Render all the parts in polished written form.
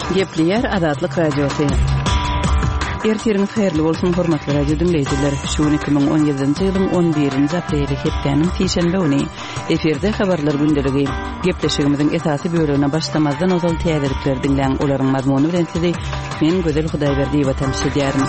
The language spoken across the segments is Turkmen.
Gepleýär Azatlyk Radiosy. Ertiriňiz haýyrly bolsun, hormatly radio diňleýjiler. Şu gün 2017-nji ýylyň 11-nji apreli, hepdäniň sişenbe güni. Efirde habarlar gündeligi. Gepleşigimiziň esasy bölegine başlamazdan ozal täzelikleri diňläň, olaryň mazmuny bilen sizi men Gözel Hudaýberdiýewa tanyş edýärin.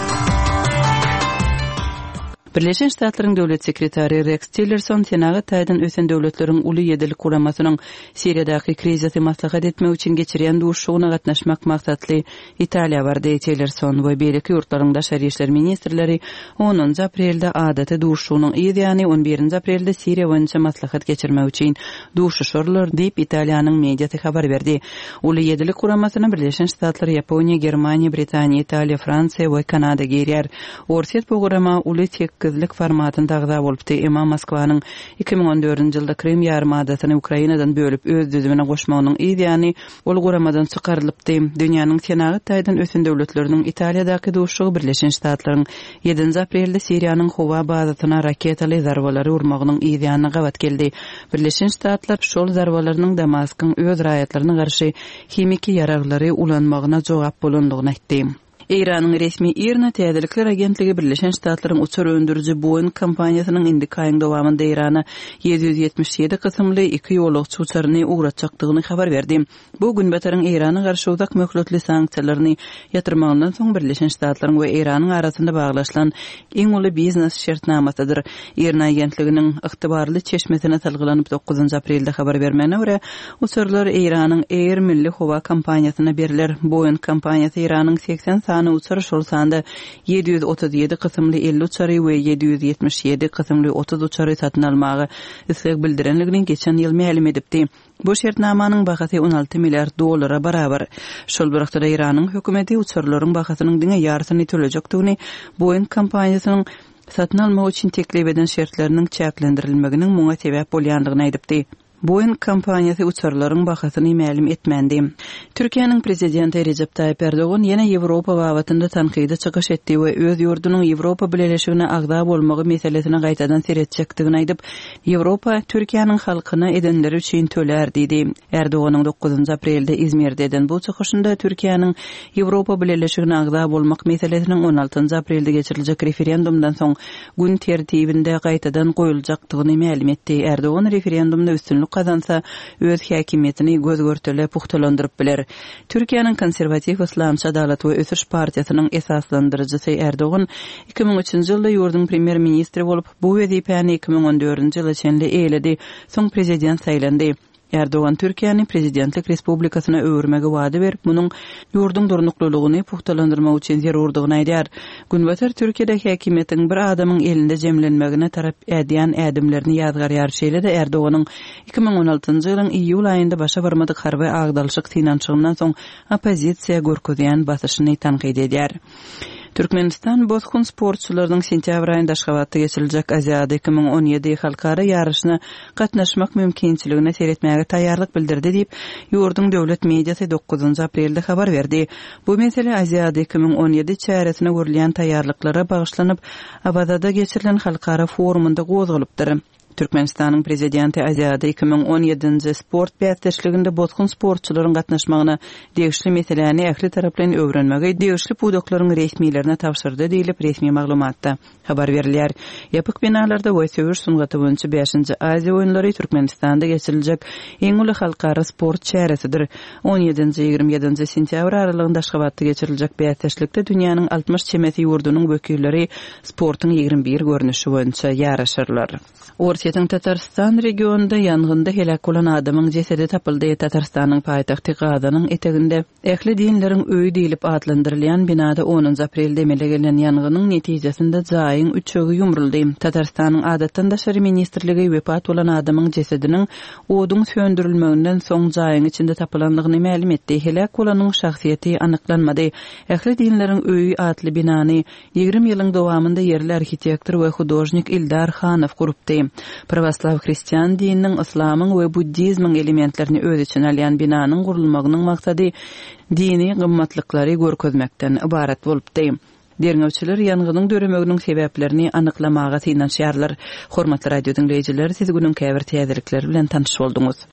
Birleşen Ştatlaryň Döwlet sekretary Reks Tillerson senagat taýdan ösen döwletleriň Uly ýedilik guramasynyň Siriýadaky krizisi maslahat etmek üçin geçirýän duşuşygyna gatnaşmak maksatly Italiýa bardy. Tillerson we beýleki ýurtlaryň daşary işler ministrleri onunjy aprelde adaty duşuşygynyň yz ýany on birinji aprelde Siriýa boýunça maslahat geçirmek üçin duşuşarlar diýip, Italiýanyň mediasy habar berdi. Uly ýedilik guramasyna Birleşen Ştatlar, Ýaponiýa, Germaniýa, Britaniýa, Italiýa, Fransiýa we Kanada girýär. Orsýet bu gurama Uly tekizlik formatynda agza bolupdy, emma Moskwanyň 2014-nji ýylda Krym ýarymadasyny Ukrainadan bölüp öz düzümine goşmagynyň yz ýany ol guramadan çykarylypdy. Dünýäniň senagat taýdan ösen döwletleriniň Italiýadaky duşuşygy Birleşen Ştatlaryň ýedinji aprelde Siriýanyň howa bazasyna raketaly zarbalary urmagynyň yz ýanyna gabat geldi. Birleşen Ştatlar şol zarbalarynyň Damaskyň öz raýatlaryna garşy himiki ýaraglary ulanmagyna jogap bolandygyny aýtdy. Eýranyň resmi IRNA täzelikler agentligi Birleşen Ştatlaryň uçar öndüriji Boeing kompaniýasynyň indiki aýyň dowamynda Eýrana 777 kysymly iki ýolagçy uçaryny ugratjakdygyny habar berdi. Bu Günbataryň Eýrana garşy uzak möhletli sanksiýalaryny ýatyrmagyndan soň Birleşen Ştatlaryň we Eýranyň arasynda baglaşylan iň uly biznes şertnamasydyr. IRNA agentliginiň ygtybarly çeşmesine salgylanyp dokuzynjy aprelde habar bermegine görä, uçarlar Eýranyň Air milli howa kompaniýasyna berler. Boeing kompaniýasy Eýranyň 80 sany uçar, şol sanda 737 kysymly 50 uçary we 777 kysymly 30 uçary satyn almaga isleg bildirendigini geçen ýyl mälim edipdi. Bu şertnamanyň bahasy 16 milliard dollara barabar. Şol bir wagtda Eýranyň hökümeti uçarlaryň bahasynyň diňe ýarysyny tölejekdigini, Boeing kompaniýasynyň satyn almak üçin teklip eden şertleriniň çäklendirilmeginiň muňa sebäp bolýandygyny aýdypdy. Boeing kompaniýasy uçarlaryň bahasyny mälim etmändi. Türkiýäniň Prezidenti Rejep Taýyp Erdogan ýene Ýewropa babatynda tankydy çykyş etdi we öz ýurdunyň Ýewropa Bileleşigine agza bolmagy meselesine gaýtadan seretjekdigini aýdyp, Ýewropa Türkiýäniň halkyna edenleri üçin tölär diýdi. Erdoganyň dokuzynjy aprelde Izmirde eden bu çykyşynda Türkiýäniň Ýewropa Bileleşigine agza bolmak meselesiniň on altynjy aprelde geçiriljek referendumdan soň gün tertibinde gaýtadan goýuljakdygyny mälim etdi. Erdogan referendumda üstünlik gazansa, öz häkimiýetini göz-görtele pugtalandyryp biler. Türkiýäniň konserwatiw Yslamçy Adalat we ösüş partiýasynyň esaslandyryjysy Erdogan 2003-nji ýylda ýurduň premýer-ministri bolup, Bu wezipäni 2014-nji ýyla çenli eýeledi, soň prezident saýlandy. Erdogan Türkiýäni prezidentlik respublikasyna öwürmegi wada berip, munuň ýurduň durnuklylygyny pugtalandyrmak üçin zerurdygyny aýdýar. Günbatar Türkiýede häkimiýetiň bir adamyň elinde jemlenmegine tarap ädýän ädimlerini ýazgarýar, şeýle-de Erdoganyň 2016-njy ýylyň iýul aýynda başa barmadyk harby agdalyşyk synanyşygyndan soň oppozisiýa görkezýän basyşyny tankyt edýär. Türkmenistan bosgun sportçylarynyň sentýabr aýynda Aşgabatda geçiriljek Aziada 2017 halkara ýaryşyna gatnaşmak mümkinçiligine seretmäge taýýarlyk bildirdi diýip, ýurduň döwlet mediasy dokuzynjy aprelde habar berdi. Bu mesele Aziada 2017 çäresine görülýän taýýarlyklara bagyşlanyp, Awazada geçirilen halkara forumynda gozgalypdyr. Türkmenistanyň Prezidenti Aziada 2017-nji sport bäsdeşliginde bosgun sportçylaryň gatnaşmagyna degişli meseläni ähli taraplaýyn öwrenmegi degişli pudaklaryň resmilerine tabşyrdy diýlip, resmi maglumatda habar berilýär. Ýapyk binalarda we söweş sungaty boýunça bäşinji Aziýa oýunlary Türkmenistanda geçiriljek iň uly halkara sport çäresidir. On ýedinji, 27-nji sentýabr aralygynda Aşgabatda geçiriljek bäsdeşlikde dünýäniň 60 çemesi ýurdunyň wekilleri sportuň 21 görnüşi boýunça ýaryşarlar. Orsýetiň Tatarystan regionynda ýangynda heläk bolan adamyň jesedi tapyldy. Tatarystanyň paýtagty Gazanyň eteginde Ähli dinleriň öýi diýlip atlandyrylýan binada onunjy aprelde emele gelen ýangynyň netijesinde jaýyň üçegi ýumruldy. Tatarystanyň Adatdan daşary ministrligi wepat bolan adamyň jesediniň oduň söndürilmeginden soň jaýyň içinde tapylandygyny mälim etdi. Heläk bolanyň şahsyýeti anyklanmady. Ähli dinleriň öýi atly binany 20 ýylyň dowamynda ýerli arhitektor we hudožnik Ildar Hanow gurupdy. Prawoslaw hristian dininiň, yslamyň we buddizmiň elementlerini öz içine alýan binanyň gurulmagynyň maksady dini gymmatlyklary görkezmekden ybarat bolupdy. Derňewçiler ýangynyň döremeginiň sebäplerini anyklamaga synanyşýarlar. Hormatly radio diňleýjiler, siz günüň käbir täzelikleri bilen tanyş bolduňyz.